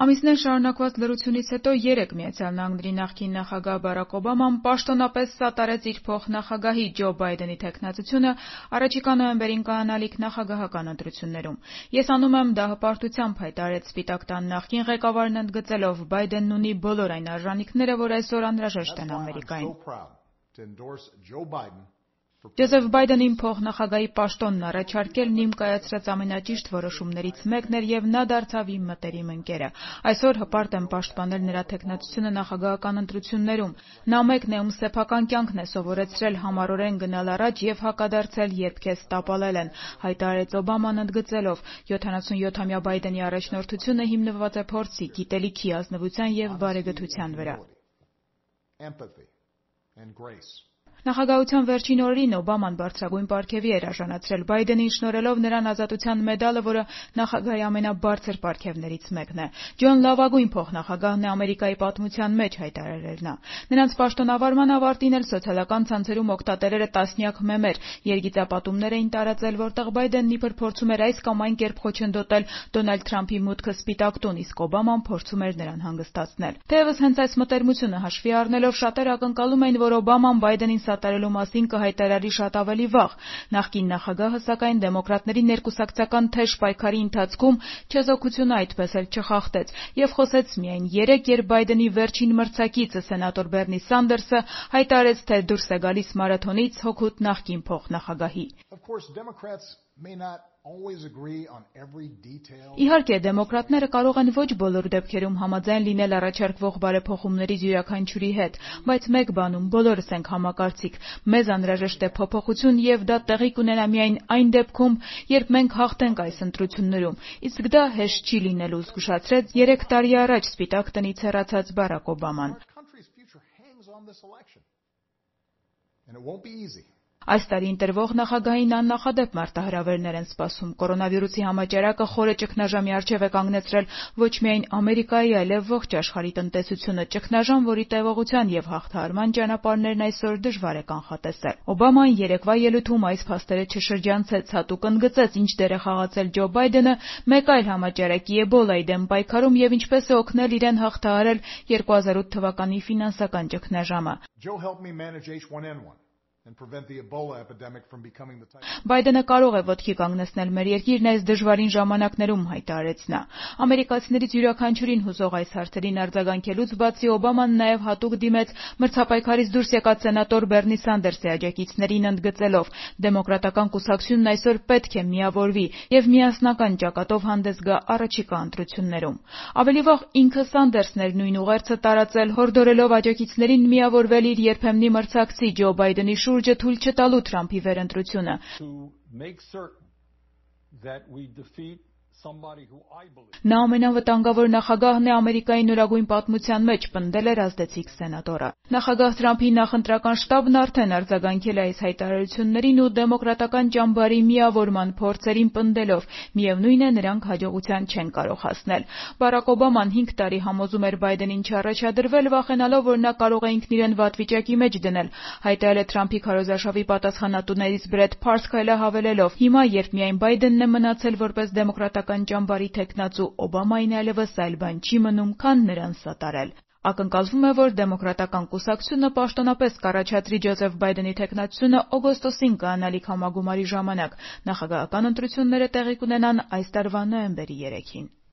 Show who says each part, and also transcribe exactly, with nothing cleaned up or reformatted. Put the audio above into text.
Speaker 1: Ամիսներ շարունակված լռությունից հետո երեկ Միացյալ Նահանգների նախկին նախագահ Բարաք Օբաման պաշտոնապես սատարեց իր փոխնախագահի Ջո Բայդենի թեկնածությունը առաջիկա նոյեմբերին կայանալիք նախագահական ընտրություններում։ Ես անում եմ դա հպարտությամբ, հայտարարեց Սպիտակ տան նախկին ղեկավարն, ընդգծելով Բայդենն ունի բոլոր այն արժանինքները, որ այսօր անհրաժեշտ են Ամերիկային։ Ջոզեֆ Բայդենին փոխնախագահի պաշտոնն առաջարկելն իմ կայացրած ամենաճիշտ որոշումներից մեկն էր եւ նա դարձավ իմ մտերիմ ընկերը։ Այսօր հպարտ եմ պաշտպանել նրա թեկնածությունը նախագահական ընտրություններում։ Նա մեկն է, ում սեփական կյանքն է սովորեցրել համառորեն գնալ առաջ եւ հակադարձել, երբ քեզ տապալել են, հայտարարեց Օբաման, ընդգծելով յոթանասունյոթամյա Բայդենի առաջնորդությունը հիմնված է փորձի, գիտելիքի, ազնվության եւ բարեգթության վրա։ Նախագահության վերջին օրերին Օբաման բարձրագույն պարգևի էր արժանացրել Բայդենին, շնորհելով նրան ազատության մեդալը, որը նախագահի ամենաբարձր պարգևներից մեկն է։ Ջոն լավագույն փոխնախագահն է Ամերիկայի պատմության մեջ, հայտարարել նա։ Նրանց պաշտոնավարման ավարտին էլ սոցիալական ցանցերում օգտատերերը տասնյակ մեմեր, երգիծապատումներ էին տարածել, որտեղ Բայդենն իբր փորձում էր այս կամ այն կերպ խոչընդոտել Դոնալդ Թրամփի մուտքը Սպիտակ տուն, իսկ Օբաման փորձում էր նրան հանգստացնել։ Թեևս հենց այս մտերմությունը հաշվի առնելով շատերը ակնկալում էին, որ Օբաման Բայդենին սատարելու մասին կհայտարարի շատ ավելի վաղ։ Նախկին նախագահը, սակայն, դեմոկրատների ներկուսակցական թեժ պայքարի ընթացքում չեզոքությունը այդպես էլ չխախտեց եւ խոսեց միայն երեկ, երբ Բայդենի վերջին մրցակիցը սենատոր Բերնի Սանդերսը հայտարարեց, թե դուրս է գալիս մարաթոնից հօգուտ նախկին փոխնախագահի։ Իհարկե, դեմոկրատները կարող են ոչ բոլոր դեպքերում համաձայն լինել առաջարկվող բարեփոխումներից յուրաքանչյուրի հետ, բայց մեկ բանում բոլորս ենք համակարծիք։ Մեզ անհրաժեշտ է փոփոխություն եւ դա տեղի կունենա միայն այն դեպքում, երբ մենք հաղթենք այս ընտրություններում, իսկ դա հեշտ չի լինելու, զգուշացրեց երեք տարի առաջ Սպիտակ տնից հեռացած Բարաք Օբաման։ Այս տարի ընտրվող նախագահին աննախադեպ մարտահրավերներ են սպասում։ Կորոնավիրուսի համաճարակը խորը ճգնաժամի առջև է կանգնեցրել ոչ միայն Ամերիկայի, այլև ողջ աշխարհի տնտեսությունը, ճգնաժամ, որի տևողության եւ հաղթահարման ճանապարհներն այսօր դժվար է կանխատեսել։ Օբաման երեկվա ելույթում այս փաստերը չշրջանցեց, հատուկ ընդգծեց, ինչ դեր է խաղացել Ջո Բայդենը մեկ այլ համաճարակի էբոլայի դեմ պայքարում եւ ինչպես է օգնել իրեն հաղթահարել երկու հազար ութ թվականի ֆինանսական ճգնաժամը։ Բայդենը կարող է ոտքի կանգնեցնել մեր երկիրն այս դժվարին ժամանակներում, հայտարարեց նա։ Ամերիկացիներից յուրաքանչյուրին հուզող այս հարցերին արձագանքելուց բացի Օբաման նաև հատուկ դիմեց մրցապայքարից դուրս եկած սենատոր Բերնի Սանդերսի աջակիցներին, ընդգծելով դեմոկրատական կուսակցությունն այսօր պետք է միավորվի եւ միասնական ճակատով հանդես գա առաջիկա ընտրություններում։ Ավելի վաղ ինքը Սանդերսն էր նույն ուղերձը տարածել, հորդորելով աջակիցներին միավորվել իր երբեմնի մրցակցի Ջո Բայդենի շուրջը թույլ չտալու Թրամփի վերընտրությունը։ Նա ամենավտանգավոր նախագահն է Ամերիկայի նորագույն պատմության մեջ, պնդել էր ազդեցիկ սենատորը։ Նախագահ Թրամփի նախընտրական շտաբն արդեն արձագանքել է այս հայտարարություններին ու դեմոկրատական ճամբարի միավորման փորձերին, պնդելով միևնույն է, նրանք հաջողության չեն կարող հասնել։ Բարաք Օբաման հինգ տարի համոզում էր Բայդենին չառաջադրվել, վախենալով, որ նա կարող է ինքն իրեն վատ վիճակի մեջ դնել, հայտարարել է Թրամփի քարոզարշավի պատասխանատուներից Բրեդ Փարսքայլը, հավելելով. Հիմա, երբ միայն Բայդենն է մնացել որպես դեմոկրատական ճամբարի թեկնածու, Օբամային այլևս այլ բան չի մնում, քան նրան սատարել։ Ակնկալվում է, որ դեմոկրատական կուսակցությունը պաշտոնապես կառաջադրի Ջոզեֆ Բայդենի թեկնածությունը օգոստոսին կայանալիք համագումարի ժամանակ։ Նախագահական ընտրությունները տեղի կունենան այս տարվա նոյեմբերի երեքին։